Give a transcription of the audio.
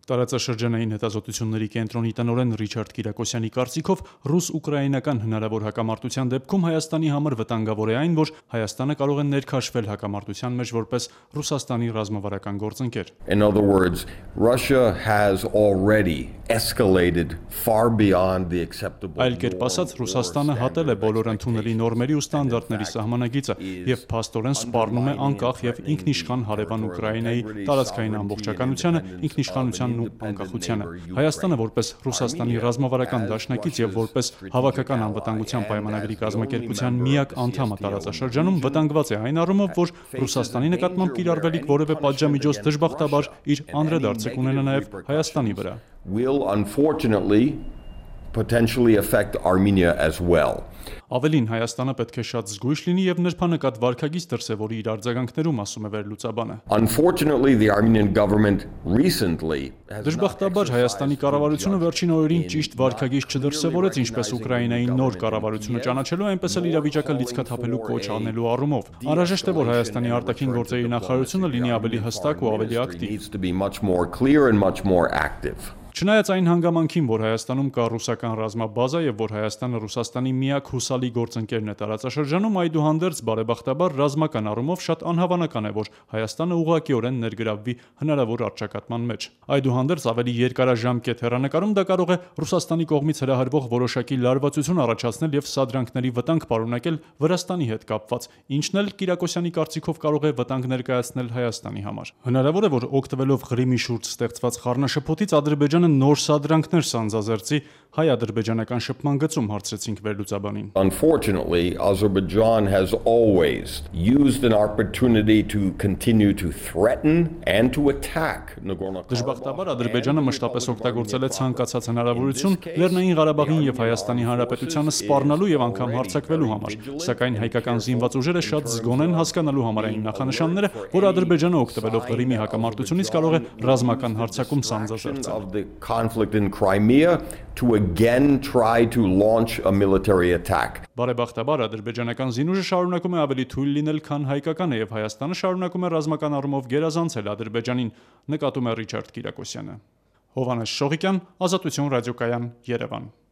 Տարածաշրջանային հետազոտությունների կենտրոնի տնօրեն Ռիչարդ Կիրակոսյանի կարծիքով ռուս-ուկրաինական հնարավոր հակամարտության դեպքում Հայաստանի համար վտանգավոր է այն, որ Հայաստանը կարող է ներքաշվել հակամարտության մեջ որպես Ռուսաստանի ռազմավարական գործընկեր։ In other words, Russia has already escalated far beyond the acceptable. Այլ կերպ ասած, Ռուսաստանը հատել է բոլոր ընդունելի նորմերի ու ստանդարտների սահմանագիծը եւ փաստորեն սպառնում է անկախ եւ ինքնիշխան հարևան Ուկրաինայի տարածքային ամբողջականությանը, ինքնիշխանությանն ու անկախությանը։ Հայաստանը որպես Ռուսաստանի ռազմավարական դաշնակից եւ որպես հավաքական անվտանգության պայմանագրի կազմակերպության միակ անդամը տարածաշրջանում վտանգված է այն առումով, որ Ռուսաստանի նկատմամբ կիրառվելիք որևէ պատժամիջոց դժբախտաբար իր անդրադարձը կունենա նաեւ Հայաստանի վրա։ Will unfortunately potentially affect Armenia as well. Ավելին, Հայաստանը պետք է շատ զգույշ լինի եւ նրբանկատ վարքագիծ դրսեւորի իր արձագանքներում, ասում է վերլուծաբանը։ Unfortunately, the Armenian government recently Դժբախտաբար Հայաստանի կառավարությունը վերջին օրերին ճիշտ վարքագիծ չդրսևորեց ինչպես Ուկրաինայի նոր կառավարությունը ճանաչելու, այնպես էլ իրավիճակը լիցքաթափելու կոչ անելու առումով։ Անհրաժեշտ է, որ Հայաստանի արտաքին գործերի նախարարությունը լինի ավելի հստակ ու ավելի ակտիվ։ Չնայած այն հանգամանքին, որ Հայաստանում կա ռուսական ռազմաբազա եւ որ Հայաստանը Ռուսաստանի միակ հուսալի գործընկերն է տարածաշրջանում, այդուհանդերձ բարեբախտաբար ռազմական առումով շատ անհավանական է, որ Հայաստանը ուղղակիորեն ներգրավվի հնարավոր առճակատման մեջ։ Այդուհանդերձ ավելի երկարաժամկետ հեռանկարում դա կարող է Ռուսաստանի կողմից հրահրվող որոշակի լարվածություն առաջացնել եւ սադրանքների վտանգ պարունակել Վրաստանի հետ կապված, ինչն էլ Կիրակոսյանի կարծիքով կարող է վտանգ ներկայացնել Հայաստանի համար։ Հնարավոր է, որ օգտվելով Ղրիմի շուրջ ստեղծված խառնաշփոթից Ադրբեջանը նոր սադրանքներ սանձազերծի հայ-ադրբեջանական շփման գծում, հարցրեցինք վերլուծաբանին։ Unfortunately, Azerbaijan has always used an opportunity to continue to threaten and to attack Nagorno-Karabakh. Դժբախտաբար Ադրբեջանը մշտապես օգտագործել է ցանկացած հնարավորություն Լեռնային Ղարաբաղին եւ Հայաստանի Հանրապետությանը սպառնալու եւ անգամ հարձակվելու համար, սակայն հայկական զինված ուժերը շատ զգոն են հասկանալու համար այն նախանշանները, որ Ադրբեջանը օգտվելով Ղրիմի հակամարտությունից կարող է ռազմական հարձակում սանձազերծել։ Conflict in Crimea to again try to launch a military attack. Բարեբախտաբար ադրբեջանական զինուժը շարունակում է ավելի թույլ լինել, քան հայկականը եւ Հայաստանը շարունակում է ռազմական առումով գերազանցել Ադրբեջանին, նկատում է Ռիչարդ Կիրակոսյանը։ Հովհաննես Շողիկյան, Ազատություն ռադիոկայան, Երևան։